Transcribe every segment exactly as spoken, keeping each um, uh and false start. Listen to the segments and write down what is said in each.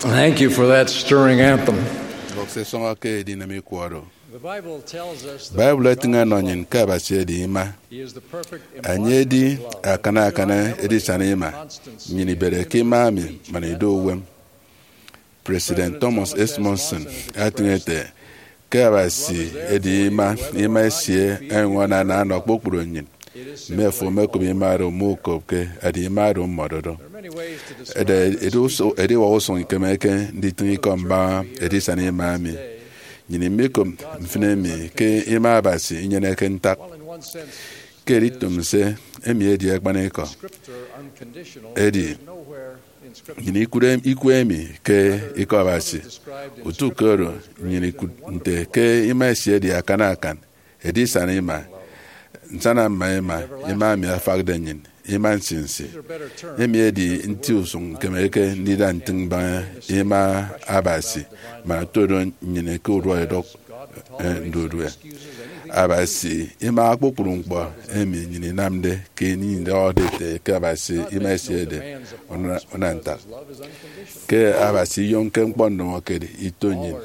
Thank you for that stirring anthem. Mbọk se sọñọ ke edinem ikọ oro. The Bible tells us that Bible etịñ enọ nnyịn ke Abasi edi ima. He is the perfect Enye edi embodiment of akana akana edisana ima. Nnyịn ibede ke ima mi man ido uwem. President Thomas S. Monson atịñ ete ke Abasi edi ima, ima esie ẹnyụñ anana ọnọ kpukpru nnyịn. Mme fo mekop ima oro, mukopke, edi ima oro mmọdo do. Ede ediwak usụñ ikemeke nditịñ ikọ mbaña edisana ima emi. Nnyịn imikop mfịn emi ke ima Abasi inyeneke ntak. Ke editụmse, emi edi akpanikọ. Edi, nnyịn ikụt ikọ emi ke Ikọ Abasi. Utu ke oro, nnyịn ikụt nte ke ima esie edi akana akan edisana ima, nsana mma ima, ima emi afakde nnyịn, ima nsinsi. Emi edi nti usụñ ikemeke ndida ntịñ mbaña ima Abasi, man otodo nnyịn ke urua edọk, eh, ndudue. Abasi imaha kpukpru ñkpọ emi nnyịn inamde ke ini idọhọde ete ke Abasi ima esie edi una-, unantak. Ke Abasi iyomke ñkpọ ndụñọkedi ito nnyịn,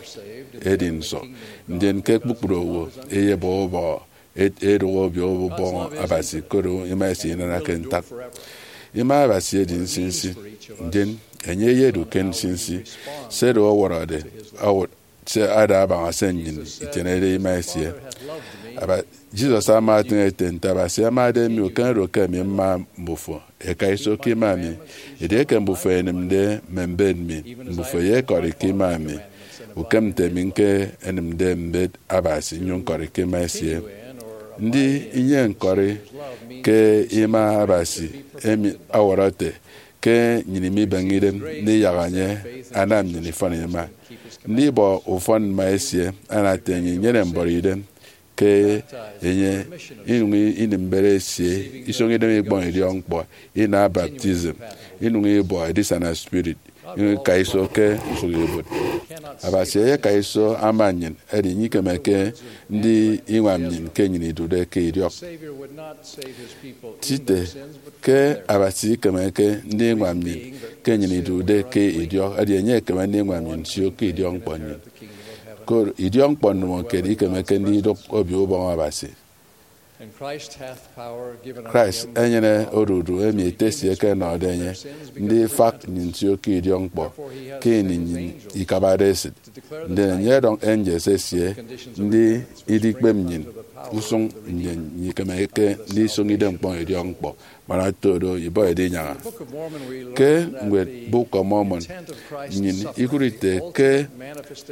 edi nso? Ndien ke kpukpru owo eyebọ ubọhọ, ed-, edụk obio ubọhọ Abasi, koro ima esie inanake ntak. Ima Abasi edi nsinsi, ndien enye eyedu ke nsinsi. Se oro ọwọrọde, ọwọt, se ada abaña se nnyịn itienede ima esie. Aba-, Jesus ama etịñ ete, nte Abasi amade mi, ukem oro ke ami mma mbufo, eka iso ke ima mi. Edieke mbufo ẹnịmde mme mbet mi, mbufo ẹyekọri ke ima mi, ukem nte mi ñke ẹnịmde mbet Abasi nnyụñ ñkọri ke ima esie. Ndi inyeñkọri ke ima Abasi emi ọwọrọ ete ke nnyịn imibeñe idem ndiyak enye anam nnyịn ifọn ima? Ndibọ ufọn mma esie ana ete nnyịn inyene mbọrọ idem ke enye, inyụñ inịm mbet esie, isọñ idem ikpọñ idiọkñkpọ, ina baptism, inyụñ ibọ edisana spirit, inyụñ ika iso ke usụk ibuot. Abasi eyeka iso ama nnyịn, edi enye ikemeke ndiñwam nnyịn ke nnyịn idude ke idiọk. Tite ke Abasi ikemeke ndiñwam nnyịn ke nnyịn idude ke idiọk, edi enye ekeme ndiñwam nnyịn sio ke idiọkñkpọ nnyịn. Koro idiọkñkpọ ndụñọkedi ikemeke ndidụk obio ubọñ Abasi. Christ enyene odudu emi Ete esie eke ọnọde enye, ndifak nnyịn nsio ke idiọkñkpọ ke ini nnyịn ikabade esịt. Ndien enye ọdọñ angels esie ndi idikpep nnyịn usụñ, ndien nnyịn ikemeke ndisọñ idem ñkpọñ idiọkñkpọ, man oto do ibọ edinyaña. Ke ñwed Book of Mormon, nnyịn ikụt ite ke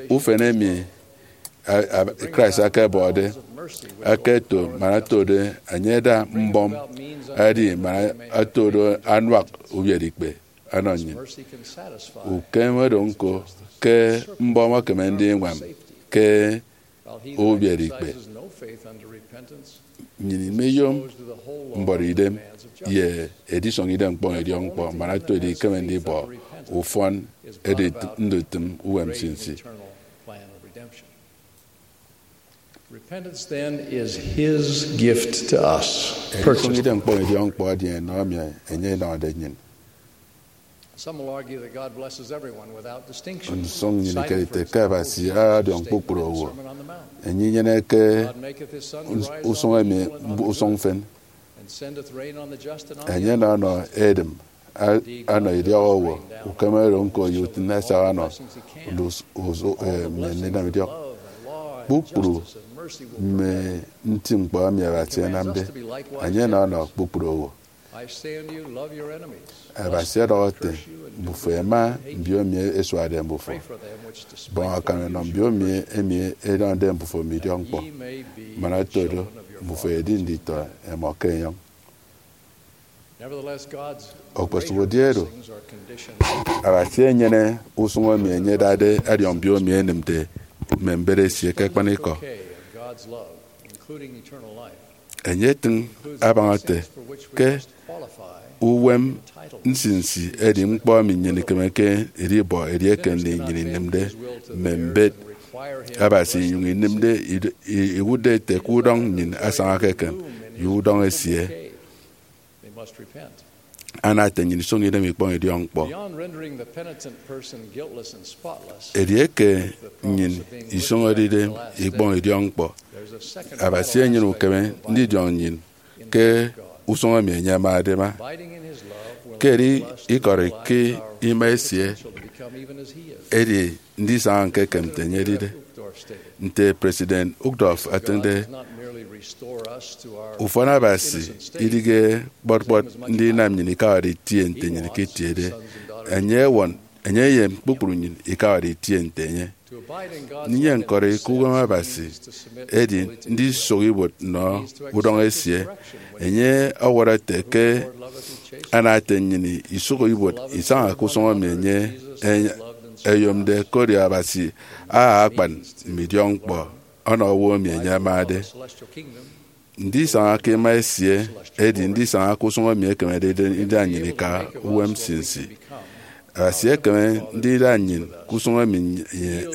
ufen emi a-, a-, Christ akabọde, aketo man oto do enye ada mbọm, edi man oto do anuak ubiereikpe ọnọ nnyịn. Ukem oro ñko, ke mbọm ekeme ndiñwam ke ubiereikpe. Nnyịn imeyom mbọrọ idem ye edisọñ idem ñkpọñ idiọkñkpọ, man oto do ikeme ndibọ ufọn edit-, ndutịm uwem nsinsi. Repentance, then, is his gift to us. Edisọñ idem ñkpọñ idiọkñkpọ edi enọ emi enye enọde nnyịn. Some will argue that God blesses everyone without distinction. Nsụñ nnyịn ikerete ke Abasi adiọñ kpukpru owo. Enye inyeneke usụñ emi usụñ mfịn. Enye ọnọ edịm a-, anọ idiọk owo, ukem oro ñko ye utịn esak ọnọ us-, us-, eh, mme ndinam idiọk. Kpukpru mme nti ñkpọ emi Abasi anamde, enye ọnọ kpukpru owo. Abasi ọdọhọ ete, mbufo ẹma mbiomi ẹsuade mbufo. Bọñ akam ẹnọ mbiomi emi ẹdọñde mbufo mme idiọkñkpọ, man oto do mbufo ẹdi nditọ ẹmọ ke enyọñ. Okposụkedi oro, Abasi enyene usụñ emi enye adade adiọñ mbiomi ẹnịmde mme mbet esie ke akpanikọ. Enye etịñ abaña ete ke uwem nsinsi edi ñkpọ emi nnyịn ikemeke idibọ edieke nnyịn inịmde mme mbet Abasi inyụñ inịmde id-, i-, iwụtde ete ke udọñ nnyịn asañake eken ye udọñ esie. ana ete nnyịn isụñi idem ikpọñ idiọkñkpọ. Edieke nnyịn isụñọde idem ikpọñ idiọkñkpọ, Abasi enyene ukeme ndidiọñ nnyịn ke usụñ emi enye amade ama. Ke edi ikọri ke ima esie, edi ndisaña ñka ekem nte enye edide. Nte President Uchtdorf etịñde, ufọn Abasi idịghe kpọt kpọt ndinam nnyịn ikawade itie nte nnyịn iketiede. Enye ewọñ, enye eyen kpukpru nnyịn ikawade itie nte enye. Ndinyene ñkọri ke uwem Abasi edi ndisụk ibuot nnọ udọñ esie. Enye ọwọrọ ete ke ana ete nnyịn isụk ibuot isaña ke usụñ emi enye eyomde, koro Abasi aha akpan mme idiọkñkpọ ọnọ owo emi enye amade. Ndisaña ke ima esie edi ndisaña ke usụñ emi ekemede ndida nnyịn ika uwem nsinsi. Abasi ekeme ndida nnyịn ke usụñ emi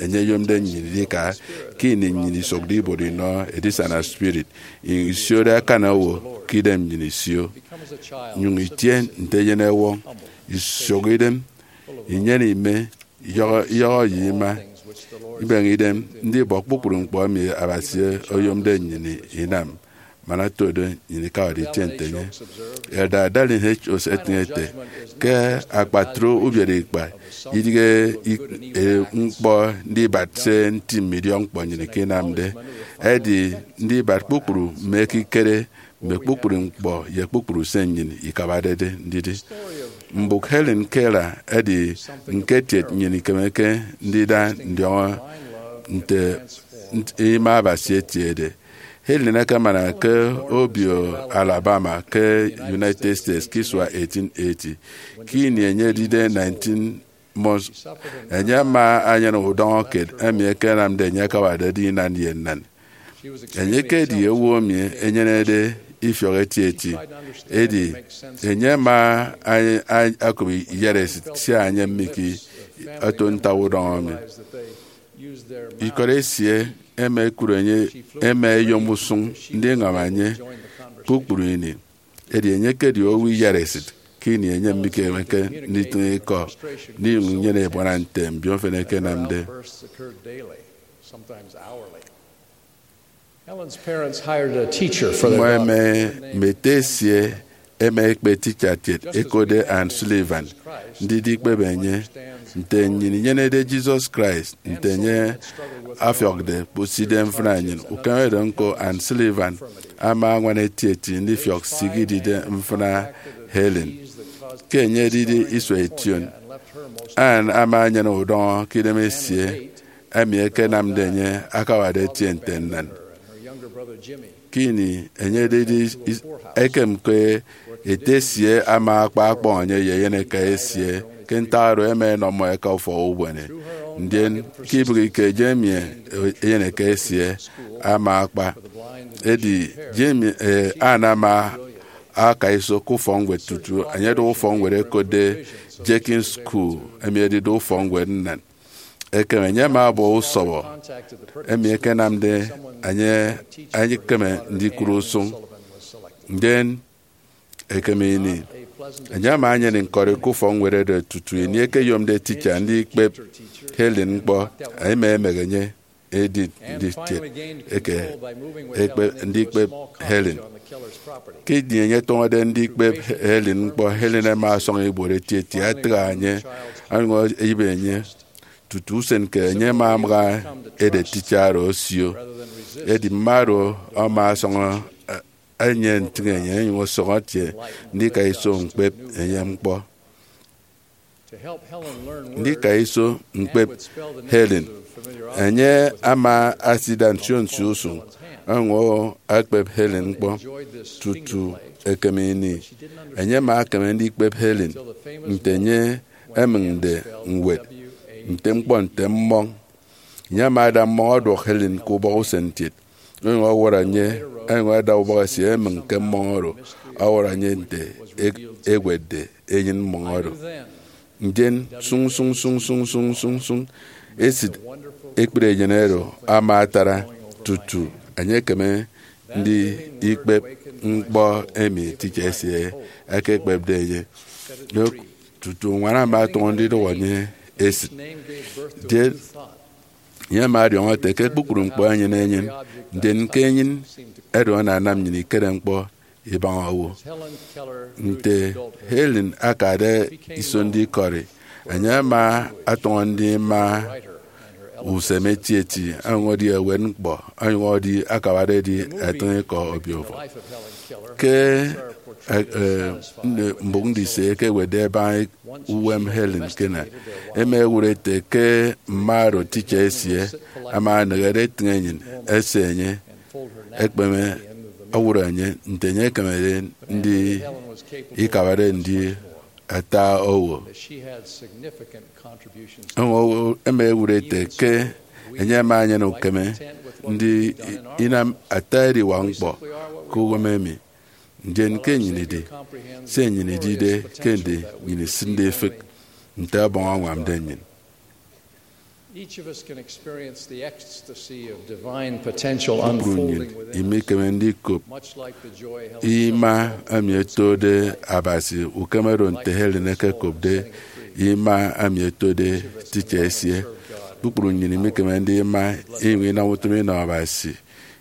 enye eyomde nnyịn idika ke ini nnyịn isụkde ibuot inọ edisana spirit, inyụñ isiode akan owo ke idem nnyịn isio, inyụñ itie nte eyen ewọñ, isụk idem, inyene ime, iyọhọ iyọhọ ye ima, ibeñe idem ndibọ kpukpru ñkpọ emi Abasi oyomde nnyịn inam, man otode nnyịn ikawade itie nte enye. Elder Dallin H. Oaks etịñ ete, ke akpatre ubiere ikpa idịghe ik- e, ñkpọ ndibat se nti mme idiọkñkpọ nnyịn ikinamde, edi ndibat kpukpru mme ekikere mme kpukpru ñkpọ ye kpukpru se nnyịn ikabadede ndidi. Mbụk Helen Keller edi ñketiet nnyịn ikemeke ndida ndiọñọ nte nt- ima Abasi etiede. Helen akemana ke Mobile, Alabama, ke United States ke isua eighteen eighty. Ke ini enye edide nineteen months, enye ama anyene udọñọ kiet emi ekenamde enye akawade edi inan ye nnan. Enye ekedi owo emi enyenede ifiọk etieti, edi enye ama a- a- okụp iyaresit sia enye mmiki oto ntak udọñọ emi. Ikọt esie ẹma ẹkụt enye, ẹma ẹyom usụñ ndiñwam enye kpukpru ini. Edi enye ekedi owo iyaresit ke ini enye mikemeke nditịñ ikọ, ndinyụñ inyene ebuana nte mbio mfịn ẹkenamde. Mmọ ẹma mme ete esie ẹma ẹkpe ticha kiet ẹkotde Anne Sullivan ndidi ikpep enye. Nte nnyịn inyenede Jesus Christ nte enye afiọkde kpụside mfịna nnyịn, ukeme oro ñko, Anne Sullivan ama añwana etieti ndifiọk se idide mfịna Helen. Ke enye edide isua ition, Anne ama enyene udọñọ ke idem esie emi ekenamde enye akawade etie nte nnan. Ke ini enye edide is- ekem ke ete esie ama akpa akpọñ enye ye eyeneka esie, ke ntak oro ẹma ẹnọ mmọ ẹka ufọk ubuene. Ndien ke ibịghike, Jamie, eyeneka esie, ama akpa. Edi Jamie, eh, anama aka iso ke ufọkñwed tutu enye ẹdọhọ ufọkñwed ẹkotde Jenkins School, emi edide ufọkñwed nnan. Ekem enye ama ọbọ usọbọ emi ekenamde enye ekeme ndikụre usụñ. Ndien ekem ini, enye ama enyene ñkọri ke ufọkñwed oro tutu ini ekeyomde ticha ndikpep Helen ñkpọ, ẹma ẹmek enye edit nditiet eke ekpe- ndikpep Helen. Ke ini enye etọñọde ndikpep Helen ñkpọ, Helen ama ọsọñọ ibuot etieti atịgha enye, onyụñ eyịbe enye. Tutu usen ke enye ama amaka edet ticha oro osio. Edi mme oro ama ọsọñọ enye ntịñ enye, onyụñ ọsọñọ etie ndika iso ñkpep enye ñkpọ. Ndika iso ñkpep Helen, enye ama asida nsio nsio usụñ onyụñ ekpep Helen ñkpọ. Tutu ekem ini, enye ama ekeme ndikpep Helen nte enye emịñde ñwed nte ñkpọ nte mmọñ. Enye ama ada mmọñ ọduọk Helen ke ubọk usen kiet, onyụñ ọwọrọ enye, onyụñ ada ubọk esie emịñ ke mmọñ oro, ọwọrọ enye nte e- ewetde enyịn mmọñ oro. Ndien sụñ sụñ sụñ sụñ sụñ sụñ sụñ, esịt ekpri enyịn oro ama atara tutu enye ekeme ndikpep ñkpọ emi ticha esie ekekpepde enye. Yok, tutu uñwana ama atọñọ ndidụhọ enye esịt. Ndien enye ama ọdiọñọ ete ke kpukpru ñkpọ enyene enyịn, ndien ke enyịn oro ananam nnyịn ikere ñkpọ ibaña owo. Nte Helen akade iso ndikọri, enye ama atọñọ ndima usem etieti, onyụñ edi ewet ñkpọ, onyụñ edi akabade edi etịñ ikọ obio ufọk. Ke, eh, eh, mbụk ndise eke ewetde ebaña uwem Helen Keller, ema ewụt ete ke mma oro teacher esie ama enehede etịñ enyịn ese enye, ekpeme ọwọrọ enye nte enye ekemede ndi ikabade ndi ata owo. Onyụñ ema ewụt ete ke enye ama enyene ukeme ndi inam ata ediwak ñkpọ ke uwem emi. Ndien ke nnyịn idi, se nnyịn idide ke ndi nnyịn isịnde ifịk nte Ọbọñ añwamde nnyịn. Each of us can experience the ecstasy of divine potential. Kpukpru nnyịn unfolding within us. Imikeme ndikop Much like the joy Helen ima felt emi etode Abasi ukeme oro nte Helen ekekopde ima emi etode teacher esie. Kpukpru nnyịn imikeme ndima inyụñ inam utom inọ Abasi,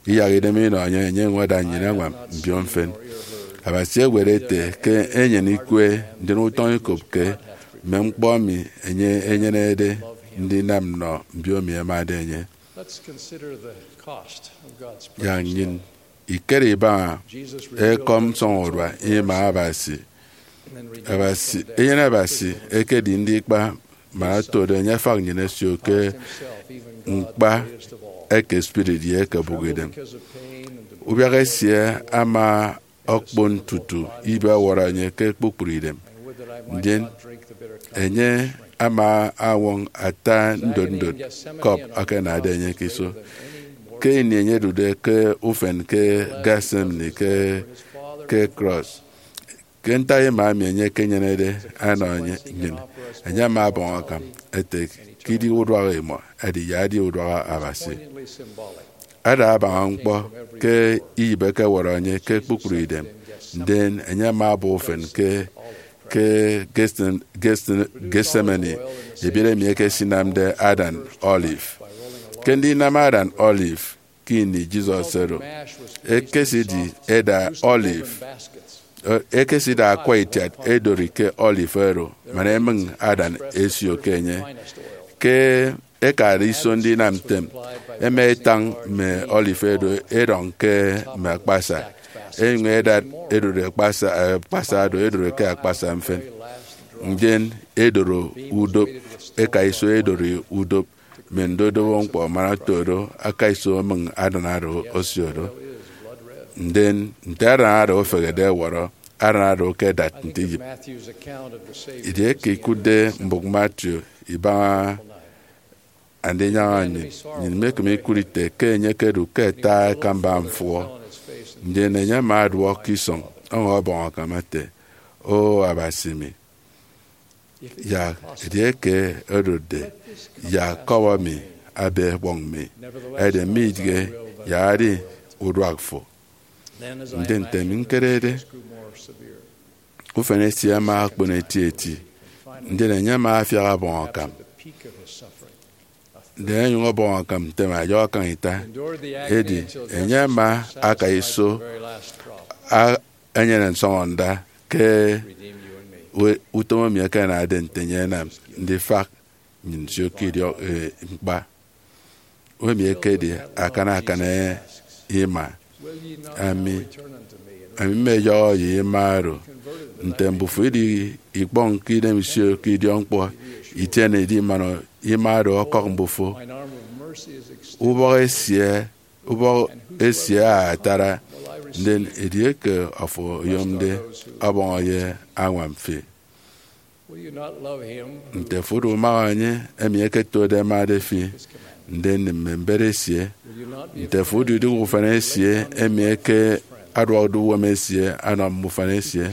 iyak idem inọ enye, enye enyuñ ada nnyịn añwam mbio mfịn. Abasi ewet ete ke enyene ikwe, ndien utọñ ikopke mme ñkpọ emi enye enyenede ndinam nnọ mbio emi ẹmade enye. Let's consider the cost of God's Yak precious nnyịn love. Ikere ibaña Jesus revealed ekọm nsọñurua ima Abasi. Abasi, eyen Abasi ekedi ndikpa man otode enye afak nnyịn esio ke ñkpa eke spirit ye eke obụkidem. Ubiak esie ama okpon tutu ibe ọwọrọ enye ke kpukpru idem. Ndien enye ama añwọñ ata ndot ndot cup akanade enye ke iso. Ke ini enye odude ke ufen ke Gethsemane ke, ke cross, ke ntak ima emi enye ekenyenede anọ enye, nnyịn, enye ama ọbọñ akam ete ke idi uduak imọ, edi ya edi uduak Abasi. Ada abaña ñkpọ ke iyịp ekewọrọ enye ke kpukpru idem, ndien enye ama ọbọ ufen ke, ke Gethsem-, Gethsem-, Gethsemane, ebiet emi ekesinamde adan olive. Ke ndinam adan olive, ke ini Jesus oro ekesidi eda olive, e-, ekesida akwa itiat edori ke olive oro, man emịñ adan esio ke enye. Ke ekade iso ndinam ntem, ema etañ mme olive oro edọñ ke mme akpasa, enyuñ edat edori akpasa, akpasa oro edori ke akpasa mfịn. Ndien edoro udop, eka iso edori udop, mme ndodobo ñkpọ man oto do, aka iso emịñ adan oro osio do. Ndien nte adan oro ofehede ọwọrọ, adan oro ke edat nte iyịp. Edieke ikụtde mbụk Matthew ibaña andinyaña nnyịn, nnyịn imekeme ikụt ite ke enye ekedu ke ata ekamba mfụhọ. Ndien enye ama ọduọk ke isọñ, onyụñ ọbọñ akam ete, O Abasi mi, yak edieke odotde, yak kọbọ mi abe ekpọñ mi, edi midịghe, yak edi uduak fo. Ndien nte mi ñkerede, ufen esie ama okpon etieti, ndien enye ama afiak ọbọñ akam. Ndien enyụñ ọbọñ akam ntem ayọ akañ ita. Edi enye ama aka iso a-, enyene nsọñọnda ke we-, utom emi ekenade nte enye enam ndifak nnyịn nsio ke idiọk, eh, ñkpa. Emi ekedi akana akana, eh, ima. Ami, ami mmeyọhọ ye ima oro, nte mbufo idi ikpọñ ke idem isio ke idiọk ñkpọ, itiene idi man ima oro ọkọk mbufo. Ubọk esie, ubọk esie atara, ndien edieke afo oyomde, ọbọñọ ye añwam fi. Nte afo udumaha enye emi eketode emade fi, ndien nịm mme mbet esie? Nte afo udidụk ufan esie emi eke aduakde uwem esie anam mme ufan esie,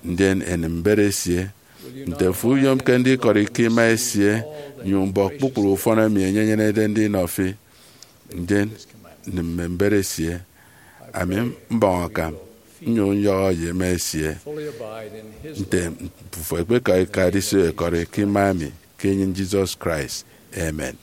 ndien enịm mbet esie? Nte afo uyomke ndikọri ke ima esie, nyụñ ubọk kpukpru ufọn emi enye enyenede ndinọ fi, ndien nịm mme mbet esie? Ami mbọñ akam, nnyụñ nyọhọ ye ema esie nte mbufo ẹkpekọk ẹka ẹdiso ẹkọri ke ima emi ke enyịn Jesus Christ. Amen.